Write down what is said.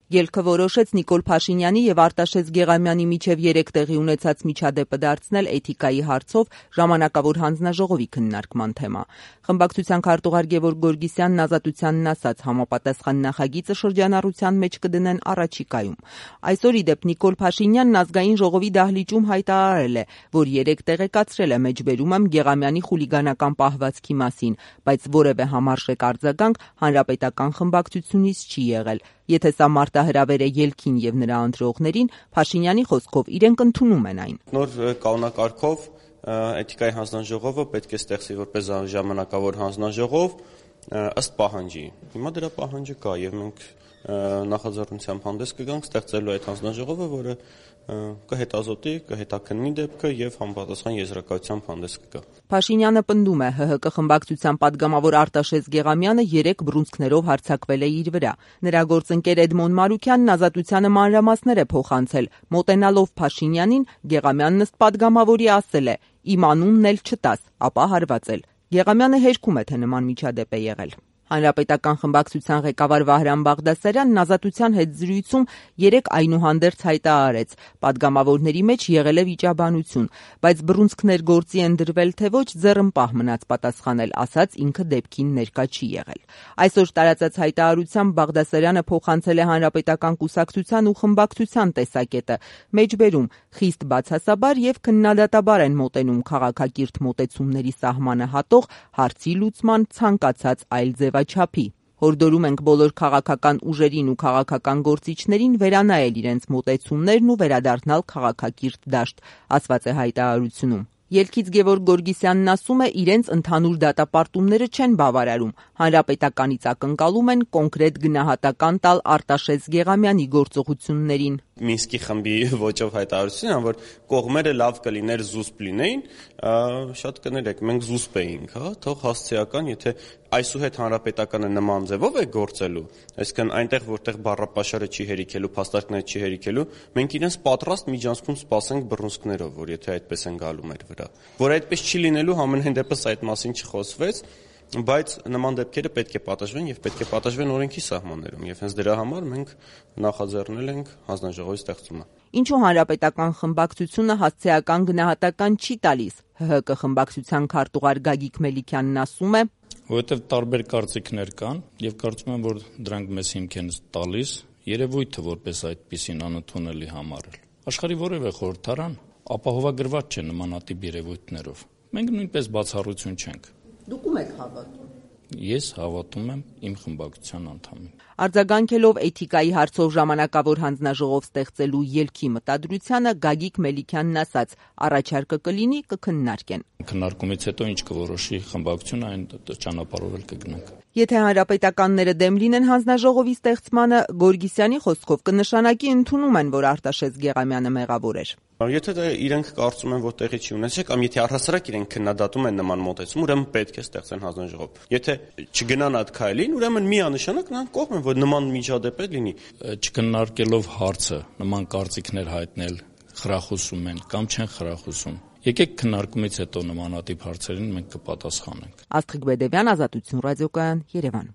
Ելքը որոշեց Նիկոլ Փաշինյանի եւ Արտաշես Գեղամյանի միջև 3 տեղի ունեցած միջադեպը դարձնել էթիկայի հարցով ժամանակավոր հանձնաժողովի քննարկման թեմա։ Խմբակցության քարտուղար Գևորգ Գորգիսյանն Ազատությանն ասաց, համապատասխան նախագիծը շրջանառության մեջ կդնեն առաջիկայում։ Այսօր ի դեպ Նիկոլ Փաշինյանն ազգային ժողովի դահլիճում հայտարարել է, որ 3 տեղեկացրել է մեջբերում եմ Գեղամյանի խուլիգանական պահվածքի մասին, բայց որևէ համարժեք արձագանք հանրապետական խմբակցությունից չի եղել։ Եթե սա մարտահրավեր է ելքին եւ նրա ընտրողներին, Փաշինյանի խոսքով իրենք ընդունում են այն։ Նոր կանոնակարգով էթիկայի հանձնաժողովը պետք է ստեղծի որպես ժամանակավոր հանձնաժողով ըստ պահանջի։ Հիմա դրա պահանջը կա եւ մենք նախաձեռնությամբ հանդես կգանք ստեղծելու այդ հանձնաժողովը, որը կհետազոտի, կհետաքննի դեպքը եւ համապատասխան եզրակացությամբ հանդես կգա։ Փաշինյանը պնդում է, ՀՀԿ խմբակցության падգամավոր Արտաշես Գեղամյանը 3 բռունցքներով հարձակվել է իր վրա։ Նրա գործընկեր Էդմոն Մարուքյանն Ազատությանը մանրամասներ է փոխանցել, մոտենալով Փաշինյանին, Գեղամյանն ըստ падգամավորի ասել է. «Իմ անունն էլ չտաս», ապա հարվածել։ Գեղամյանը հերքում է, թե նման միջադեպ է եղել։ Հանրապետական խմբակցության ղեկավար Վահրամ Բաղդասարյանն Ազատության հետ զրույցում 3 այնուհանդերձ հայտարարեց. падգամավորների մեջ եղել է վիճաբանություն, բայց բռունցքներ գործի են դրվել թե ոչ, ձեռնպահ մնաց պատասխանել, ասաց ինքը դեպքին ներկա չի եղել։ Այսօր տարածած հայտարարությամբ Բաղդասարյանը փոխանցել է Հանրապետական կուսակցության ու խմբակցության տեսակետը, մեջբերում խիստ բացասաբար եւ քննադատաբար են մոտենում քաղաքակիրթ մոտեցումների սահմանը հատող հարցի լուծման ցանկացած այլ ձևաչափի։ Հորդորում ենք բոլոր քաղաքական ուժերին ու քաղաքական գործիչներին վերանայել իրենց մոտեցումներն ու վերադառնալ քաղաքակիրթ դաշտ, ասված է հայտարարությունում։ Ելքից Գևորգ Գորգիսյանն ասում է, իրենց ընդհանուր դատապարտումները չեն բավարարում, հանրապետականից ակնկալում են կոնկրետ գնահատական տալ Արտաշես Գեղամյանի գործողություններին։ Մինսկի խմբի ոճով հայտարարություն, որ կողմերը լավ կլիներ զուսպ լինեին, շատ կներեք, մենք զուսպ էինք, թող հասցեական, եթե այսուհետ հանրապետականը նման ձևով է գործելու, այսինքն այնտեղ որտեղ բառապաշարը չի հերիքելու, փաստարկները չի հերիքելու, մենք իրենց պատրաստ միջանցքում սպասենք բռունցքներով, որ եթե այդպես են գալու մեր վրա, որ այդպես չի լինելու, ամենայն դեպս այդ մասին չխոսվեց, բայց նման դեպքերը պետք է պատժվեն եւ պետք է պատժվեն օրենքի սահմաններում եւ հենց դրա համար մենք նախաձեռնել ենք հանձնաժողովի ստեղծումը։ Ինչու հանրապետական խմբակցությունը հասցեական գնահատական չի տալիս։ ՀՀԿ խմբակցության քարտուղար Գագիկ Մելիքյանն ասում է. որովհետեւ տարբեր կարծիքներ կան եւ կարծում եմ, որ դրանք մեզ հիմք են տալիս երևույթը որպես այդպիսին անընդունելի համարել։ Աշխարհի որևէ խորհրդարան ապահովագրված չէ նմանատիպ երևույթներով։ Մենք նույնպես բացառություն չենք։ Դուք ում եք հավատում։ Ես հավատում եմ իմ խմբակցության անդամին։ Արձագանքելով էթիկայի հարցով ժամանակավոր հանձնաժողով ստեղծելու ելքի մտադրությանը Գագիկ Մելիքյանն ասաց. առաջարկը կլինի, կքննարկեն։ Քննարկումից հետո ինչ կորոշի խմբակցությունը, այն ճանապարհով էլ կգնանք։ Եթե հանրապետականները դեմ լինեն հանձնաժողովի ստեղծմանը, Գորգիսյանի խոսքով կնշանակի ընդունում են, որ Արտաշես Գեղամյանը մեղավոր էր։ Եթե իրենք կարծում են, որ տեղի չի ունեցել, կամ եթե առհասարակ իրենք քննադատում են նման մոտեցում, ուրեմն պետք է ստեղծեն հանձնաժողով։ Եթե չգնան այդ քայլին, ուրեմն միանշանակ նրանք կողմ են, որ նման միջադեպ լինի։ Չքննարկելով հարցը, նման կարծիքներ հայտնել, խրախուսում են կամ չեն խրախուսում։ Եկեք քննարկումից հետո նմանատիպ հարցերին մենք կպատասխանենք։ Աստղիկ Բեդևյան, Ազատություն ռադիոկայան, Երևան։